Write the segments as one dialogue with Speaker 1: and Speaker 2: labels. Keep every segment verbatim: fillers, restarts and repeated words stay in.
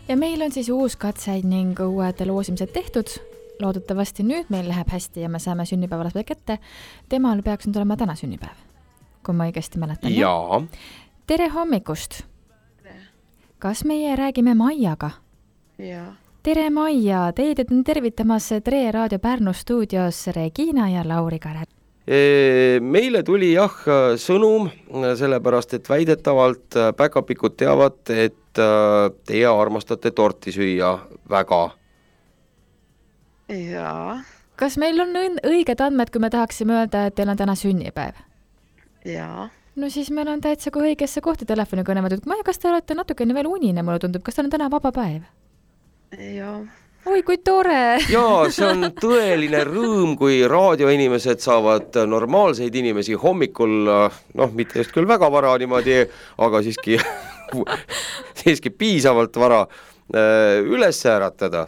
Speaker 1: ja meil on siis uus katseid ning uued loosimised tehtud. Loodetavasti nüüd meil läheb hästi ja me saame sünnipäevalasele kätte. Temal peaks nüüd olema täna sünnipäev, kui ma õigesti mäletan.
Speaker 2: Jaa.
Speaker 1: Tere hommikust. Kas meie räägime Maiaga?
Speaker 3: Jaa.
Speaker 1: Tere Maia, teid on tervitamas Tre Raadio Pärnu stuudios Regina ja Lauri Kare.
Speaker 2: Meile tuli jah sõnum, sellepärast et väidetavalt päkapikud teavad, et teie armastate torti süüa väga.
Speaker 3: Jaa.
Speaker 1: Kas meil on õiged andmed, kui me tahaksime öelda, et teil on täna sünnipäev?
Speaker 3: Jaa.
Speaker 1: No siis meil on täitsa kui õigesse kohti telefoni kõnematud. Maja, kas te olete natukene veel unine, mulle tundub? Kas teil on täna vaba päev?
Speaker 3: Jaa.
Speaker 1: Oi, kui tore!
Speaker 2: Jaa, see on tõeline rõõm, kui raadioinimesed saavad normaalseid inimesi hommikul, noh, mitte just küll väga vara niimoodi, aga siiski, siiski piisavalt vara üles äratada.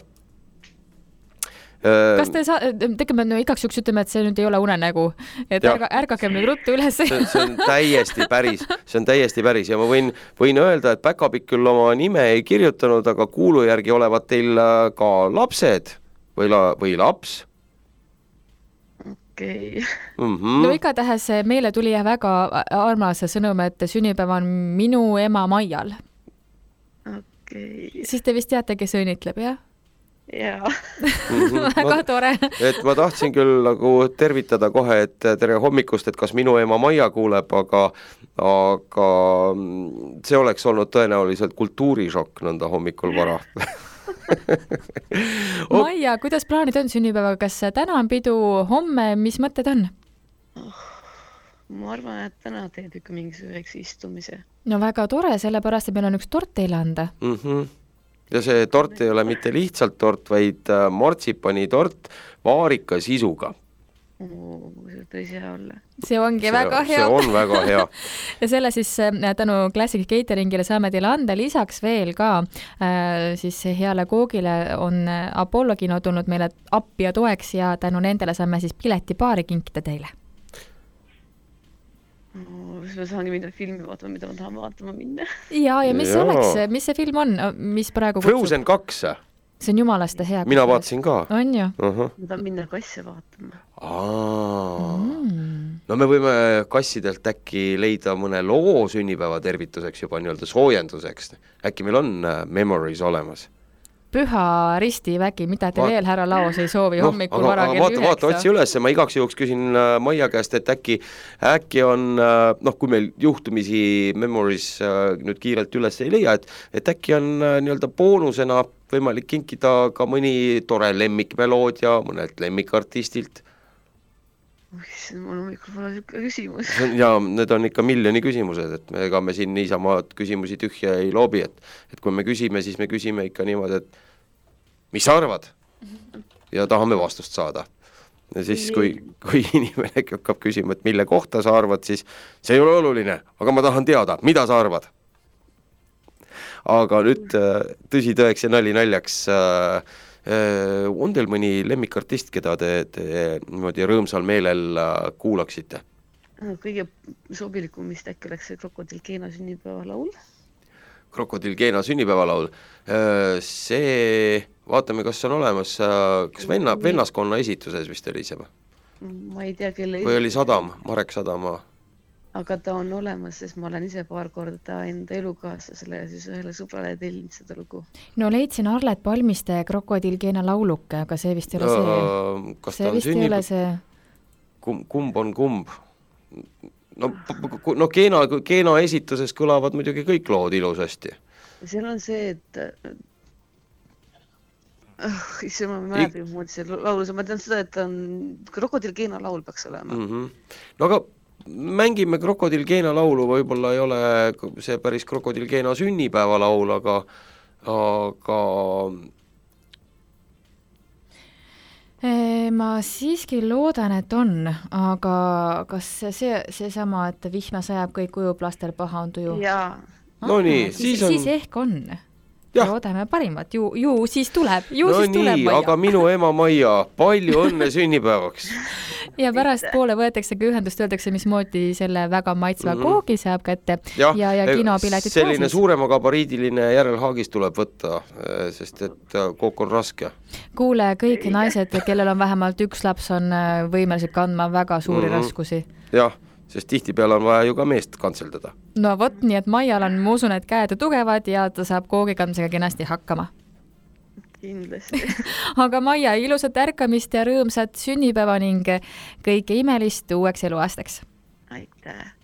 Speaker 1: Kas te saa, tegeme no, igaks juks ütleme, et see nüüd ei ole unenägu, et ärga, ärgake nüüd ruttu üles.
Speaker 2: See, see on täiesti päris, see on täiesti päris ja ma võin, võin öelda, et päkapikk küll oma nime ei kirjutanud, aga kuulu järgi olevat teil ka lapsed või, la, või laps.
Speaker 3: Okei. Okay.
Speaker 2: Mm-hmm.
Speaker 1: No igatahes meile tuli väga armas sõnum, et sünnipäev on minu ema Maial.
Speaker 3: Okei. Okay.
Speaker 1: Siis te vist teate, kes õnnitleb, jah?
Speaker 3: Jaa.
Speaker 2: Mm-hmm.
Speaker 1: Väga tore.
Speaker 2: Et ma tahtsin küll nagu tervitada kohe, et tere hommikust, et kas minu ema Maia kuuleb, aga, aga see oleks olnud tõenäoliselt kultuurišokk nõnda hommikul vara.
Speaker 1: Maia, kuidas plaanid on sünnipäevaga? Kas täna on pidu, homme, mis mõtted on?
Speaker 3: Oh, ma arvan, et täna teed ikka mingisuguseks istumise.
Speaker 1: No väga tore, sellepärast, et meil on üks tort teile anda.
Speaker 2: Mhm. Ja see tort ei ole mitte lihtsalt tort, vaid martsipani tort vaarika sisuga.
Speaker 3: Oh, see tõsi hea olla.
Speaker 1: See ongi
Speaker 2: see,
Speaker 1: väga hea.
Speaker 2: See on väga hea.
Speaker 1: Ja selle siis tänu Classic Cateringile saame teile anda lisaks veel ka äh, siis heale koogile on Apollo kino tulnud meile appi ja toeks ja tänu nendele saame siis piletipaari kinkida teile.
Speaker 3: No, siis ma saangi minna filmi vaatama, mida ma tahan vaatama minna.
Speaker 1: Ja, ja mis
Speaker 2: ja.
Speaker 1: oleks, mis see film on, mis praegu kutsub?
Speaker 2: Frozen kaks.
Speaker 1: See on jumalaste hea.
Speaker 2: Mina vaatasin ka.
Speaker 1: On ju?
Speaker 2: Uh-huh.
Speaker 3: Ma tahan minna kasse vaatama.
Speaker 2: Aa.
Speaker 1: Mm.
Speaker 2: No me võime kassidelt äkki leida mõne loo sünnipäeva tervituseks juba nii-öelda soojenduseks. Äkki meil on memories olemas.
Speaker 1: Püha risti vägi, mida te Va- veel härra Laos ei soovi no, hommikul
Speaker 2: aga,
Speaker 1: vara kell
Speaker 2: vaata,
Speaker 1: üheksa.
Speaker 2: Vaata, otsi üles, ma igaks juhuks küsin Maia käest, et äkki, äkki on, noh, kui meil juhtumisi memories nüüd kiirelt üles ei leia, et, et äkki on nii-öelda boonusena võimalik kinkida ka mõni tore lemmikmeloodia mõnelt lemmikartistilt.
Speaker 3: See on hommikul pole niisugune küsimus.
Speaker 2: Ja need on ikka miljoni küsimused, et me, ega me siin niisama küsimusi tühja ei loobi, et, et kui me küsime, siis me küsime ikka niimoodi, et mis sa arvad? Ja tahame vastust saada. Ja siis, kui, kui inimene hakkab küsima, et mille kohta sa arvad, siis see ei ole oluline, aga ma tahan teada, mida sa arvad? Aga nüüd tõsi tõeks ja nali naljaks, on teil mõni lemmikartist, keda te, te niimoodi rõõmsal meelel kuulaksite?
Speaker 3: Kõige sobilikum vist äkki oleks see Krokodil Keena sünnipäeva laul.
Speaker 2: Krokodil Keena sünnipäeva laul. See, vaatame, kas on olemas, kas venna, vennaskonna esituses vist oli see?
Speaker 3: Ma ei tea, kelle
Speaker 2: või oli Sadam, Marek Sadama?
Speaker 3: Aga ta on olemas, sest ma olen ise paar korda enda elukaaslasele ja siis ühele sõbrale tellinud seda lugu.
Speaker 1: No leidsin Arlet Palmiste Krokodil Keena lauluke, aga see vist ei ole see.
Speaker 2: Kas
Speaker 1: see vist sünnib... ei ole see.
Speaker 2: Kumb, kumb on kumb? No, no Keena, Keena esituses kõlavad muidugi kõik lood ilusasti.
Speaker 3: Seal on see, et oh, isse ma mäletan, I... muud see laulus. Ma tean seda, et on Krokodil Keena laul peaks olema.
Speaker 2: Mm-hmm. No aga mängime Krokodil Keena laulu, võib-olla ei ole see päris Krokodil Keena sünnipäeva laul, aga aga
Speaker 1: ma siiski loodan, et on, aga kas see, see sama, et vihma sajab kõik ujub, lastel paha on tuju?
Speaker 3: Jaa.
Speaker 2: No nii,
Speaker 1: siis,
Speaker 2: siis on...
Speaker 1: Siis ehk on.
Speaker 2: Ja.
Speaker 1: Loodame parimat. Ju, ju siis tuleb. Ju
Speaker 2: no
Speaker 1: siis
Speaker 2: nii,
Speaker 1: tuleb Maia.
Speaker 2: Aga minu ema Maia, palju õnne sünnipäevaks.
Speaker 1: ja pärast poole võetaksegi ühendust, öeldakse, mismoodi selle väga maitsva mm -hmm. koogi saab kätte ja, ja, ja kinopiletid
Speaker 2: selline
Speaker 1: ka siis.
Speaker 2: Suurema gabariidiline järelhaagis tuleb võtta, sest et kook on raske.
Speaker 1: Kuule, kõik naised, kellel on vähemalt üks laps, on võimelised kandma väga suuri mm -hmm. raskusi.
Speaker 2: Jah, sest tihtipeale on vaja ju ka meest kantseldada.
Speaker 1: No vot, nii et Maial on, ma usun, et käed tugevad ja ta saab koogi kandmisega kenasti hakkama.
Speaker 3: Kindlasti.
Speaker 1: Aga Maia, ilusat ärkamist ja rõõmsat sünnipäeva ning kõike imelist uueks eluaastaks.
Speaker 3: Aitäh!